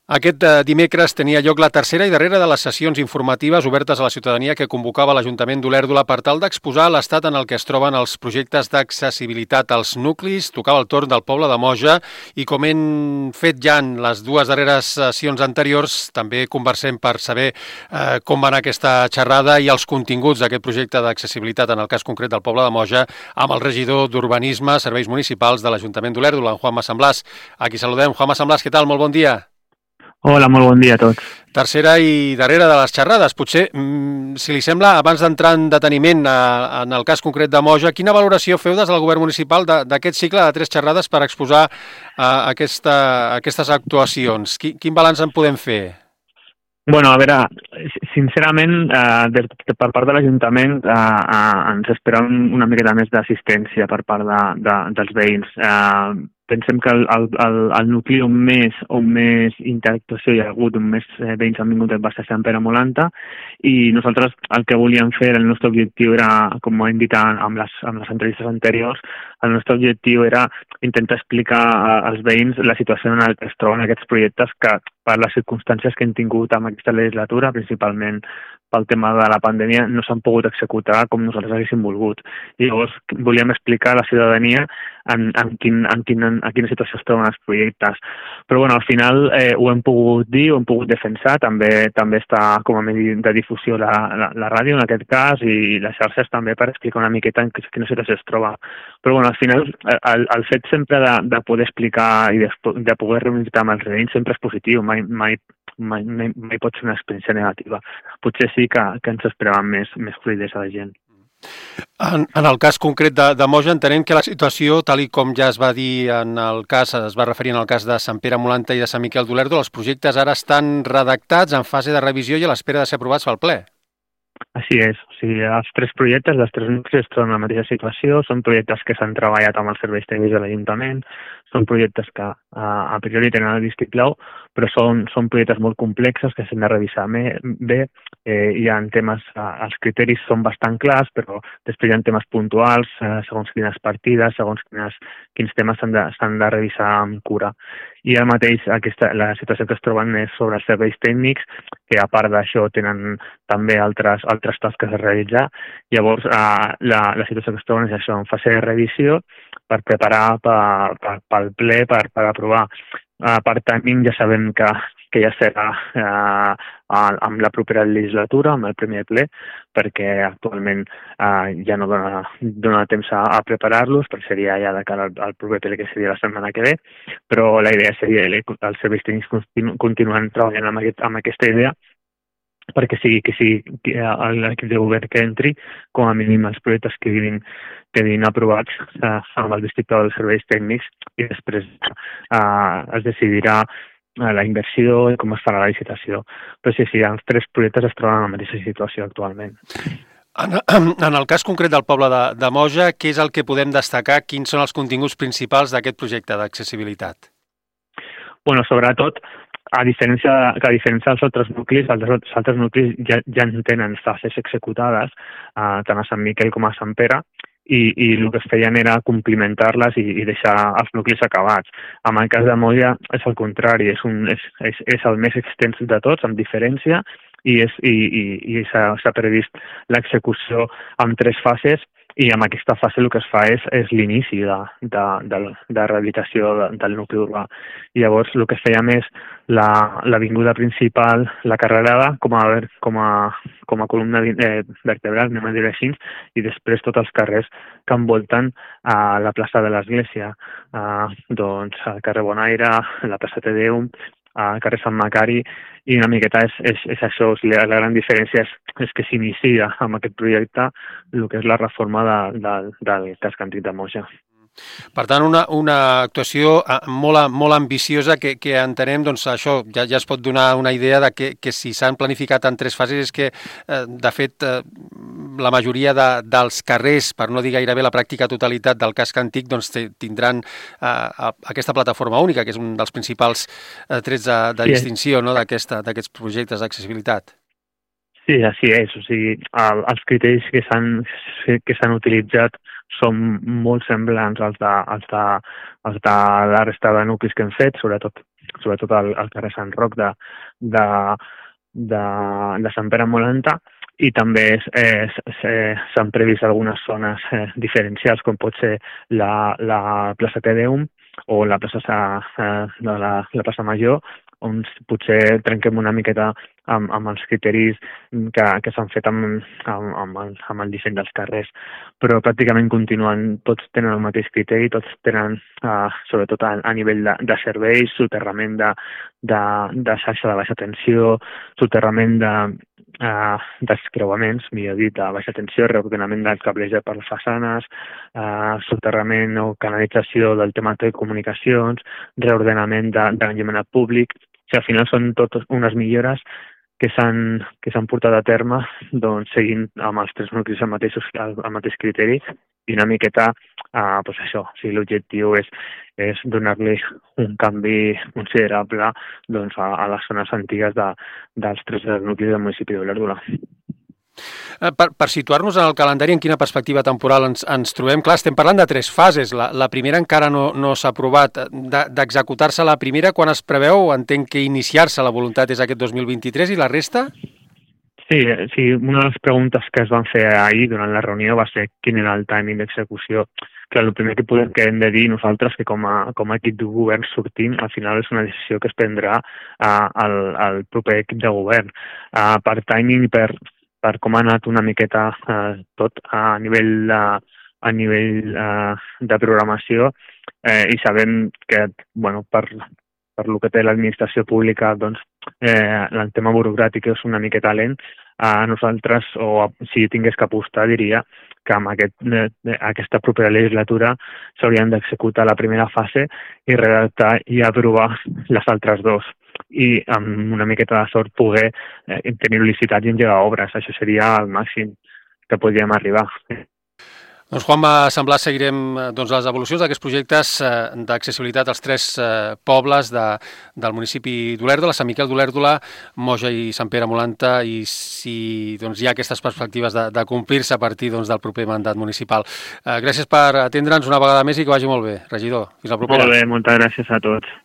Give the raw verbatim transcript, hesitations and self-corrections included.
Aquest eh, dimecres tenia lloc la tercera i darrera de les sessions informatives obertes a la ciutadania que convocava l'Ajuntament d'Olèrdola per tal d'exposar l'estat en el que es troben els projectes d'accessibilitat als nuclis. Tocava el torn del poble de Moja i, com hem fet ja en les dues darreres sessions anteriors, també conversem per saber eh, com va anar aquesta xerrada i els continguts d'aquest projecte d'accessibilitat, en el cas concret del poble de Moja, amb el regidor d'Urbanisme, Serveis Municipals de l'Ajuntament d'Olèrdola, en Juanma Samblàs. Aquí saludem. Juanma Samblàs, què tal? Molt bon dia. Hola, molt bon dia a tots. Tercera i darrera de les xerrades. Potser, si li sembla, abans d'entrar en deteniment a, en el cas concret de Moja, quina valoració feu des del govern municipal d'aquest cicle de tres xerrades per exposar uh, aquesta, aquestes actuacions? Quin, quin balanç en podem fer? Bueno, a veure, sincerament, eh, de, de, per part de l'Ajuntament eh, eh, ens esperem una miqueta més d'assistència per part de, de, dels veïns. Eh, pensem que el, el, el, el nucli on més, on més interactuació hi ha hagut, on més eh, veïns han vingut va ser Sant Pere Molanta, i nosaltres el que volíem fer, el nostre objectiu era, com ho hem dit amb les, amb les entrevistes anteriors, el nostre objectiu era intentar explicar als veïns la situació en la que es troben aquests projectes que, per les circumstàncies que hem tingut amb aquesta legislatura, principalment pel tema de la pandèmia, no s'han pogut executar com nosaltres haguéssim volgut. I llavors volíem explicar a la ciutadania en, en, quin, en, quin, en quina situació es troben els projectes. Però bueno, al final eh, ho hem pogut dir, ho hem pogut defensar, també també està com a medi de difusió la, la, la ràdio en aquest cas i les xarxes també per explicar una miqueta en quina situació es troba. Però bueno, al final el, el fet sempre de, de poder explicar i de, de poder reunir-te amb els veïns sempre és positiu, mai, mai Mai, mai, mai pot ser una experiència negativa. Potser sí que, que ens esperàvem més, més fluïdesa de gent. En, en el cas concret de, de Moja, entenem que la situació, tal i com ja es va dir en el cas, es va referir en el cas de Sant Pere Molanta i de Sant Miquel d'Olèrdola, els projectes ara estan redactats en fase de revisió i a l'espera de ser aprovats pel ple. Així és. O sigui, els tres projectes, els tres nuclis es troben en la mateixa situació, són projectes que s'han treballat amb els serveis tècnics de l'Ajuntament, són projectes que uh, a priori tenen el vistiplau, però són, són projectes molt complexos que s'han de revisar bé. Eh, hi ha temes, uh, els criteris són bastant clars, però després hi ha temes puntuals, uh, segons quines partides, segons quines, quins temes s'han de, s'han de revisar amb cura. I ara mateix aquesta, la situació que es troben és sobre els serveis tècnics, que a part d'això tenen també altres, altres tasques a realitzar. Llavors, eh, la, la situació que es troben és això, en fase de revisió, per preparar per, per, pel ple, per, per aprovar. Uh, per timing ja sabem que, que ja serà uh, amb la propera legislatura, amb el primer ple, perquè actualment uh, ja no dona, dona temps a, a preparar-los, perquè seria ja de cara al, al proper ple, que seria la setmana que ve, però la idea seria que els serveis tècnics continu, continuen treballant amb, aquest, amb aquesta idea, perquè sigui que sigui l'equip de govern que entri, com a mínim els projectes que quedin, quedin aprovats eh, amb el vistiplau dels serveis tècnics i després eh, es decidirà eh, la inversió i com es farà la licitació. Però sí, sí, els tres projectes es troben en la mateixa situació actualment. En, en el cas concret del poble de, de Moja, què és el que podem destacar? Quins són els continguts principals d'aquest projecte d'accessibilitat? Bueno, sobretot, a diferència, que a diferència dels altres nuclis, els altres nuclis ja, ja en tenen fases executades, eh, tant a Sant Miquel com a Sant Pere, i, i el que es feien era complementar-les i, i deixar els nuclis acabats. En el cas de Moja és el contrari, és, un, és, és, és el més extens de tots, amb diferència, i, és, i, i, i s'ha, s'ha previst l'execució en tres fases, i amb aquesta fase el que es fa és, és l'inici de, de, de, de rehabilitació de, del nucli urbà. I llavors el que fèiem és l'avinguda la, principal, la carrerada, com a, com a, com a columna eh, vertebral, anem a dir així, i després tots els carrers que envolten a la plaça de l'Església, eh, doncs el carrer Bonaire, la plaça Tedeum, al carrer Sant Macari, i una miqueta és, és, és això, la, la gran diferència és, és que s'inicia amb aquest projecte el que és la reforma de, de, del casc antic de Moja. Per tant, una, una actuació molt, molt ambiciosa que, que entenem, doncs això ja, ja es pot donar una idea de que, que si s'han planificat en tres fases és que, eh, de fet, eh, la majoria de, dels carrers, per no dir gairebé la pràctica totalitat del casc antic, doncs tindran eh, aquesta plataforma única, que és un dels principals eh, trets de, de distinció, no, d'aquesta, d'aquests projectes d'accessibilitat. Sí, així és. O sigui, el, els criteris que s'han que s'han utilitzat són molt semblants als de, als de, als de la resta de nuclis que hem fet, sobretot sobretot al, al carrer Sant Roc de, de, de, de Sant Pere Molanta, i també eh, s'han previst algunes zones eh, diferencials, com pot ser la, la plaça Tedeum o la plaça, eh, de la, la plaça Major, on potser trenquem una miqueta amb, amb els criteris que, que s'han fet amb, amb, amb, el, amb el disseny dels carrers. Però pràcticament continuen, tots tenen el mateix criteri, tots tenen, eh, sobretot a, a nivell de, de serveis, soterrament de, de, de xarxa de baixa tensió, soterrament de, eh, d'escreuaments, millor dit, de baixa tensió, reordenament del cableja per les façanes, eh, soterrament o canalització del tema de comunicacions, reordenament de, de l'enllumenat públic. O sigui, al final són totes unes millores que s'han que s'han portat a terme, doncs, seguint amb els tres nuclis el mateix, el mateix criteri, i una miqueta, eh, doncs això, o sigui, l'objectiu és, és donar-li un canvi considerable, doncs, a, a les zones antigues de, dels tres nuclis del municipi d'Olèrdola. Per, per situar-nos en el calendari, en quina perspectiva temporal ens, ens trobem? Clar, estem parlant de tres fases. La, la primera encara no, no s'ha aprovat. D'executar-se la primera, quan es preveu? Entenc que iniciar-se la voluntat és aquest dos mil vint-i-tres, i la resta? Sí, sí, una de les preguntes que es van fer ahir durant la reunió va ser quin era el timing d'execució. Que el primer que podem que hem de dir nosaltres, que com a, com a equip de govern sortint, al final és una decisió que es prendrà uh, al, al proper equip de govern. Uh, per timing i per per com ha anat una miqueta eh, tot a nivell, de, a nivell eh, de programació, eh, i sabem que, bueno, per, per lo que té l'administració pública, doncs, eh, el tema burocràtic és una miqueta lent. A nosaltres, o si tingués que apostar, diria que amb aquest, eh, aquesta propera legislatura s'haurien d'executar la primera fase i redactar i aprovar les altres dues. I amb una miqueta de sort poder eh, tenir licitats i engegar obres. Això seria el màxim que podríem arribar. Doncs, Juanma Semblà, seguirem doncs, les evolucions d'aquests projectes eh, d'accessibilitat als tres eh, pobles de, del municipi d'Olèrdola, Sant Miquel d'Olèrdola, Moja i Sant Pere Molanta, i si doncs, hi ha aquestes perspectives de, de complir-se a partir doncs, del proper mandat municipal. Eh, gràcies per atendre'ns una vegada més i que vagi molt bé, regidor. Fins la propera. Molt bé, moltes gràcies a tots.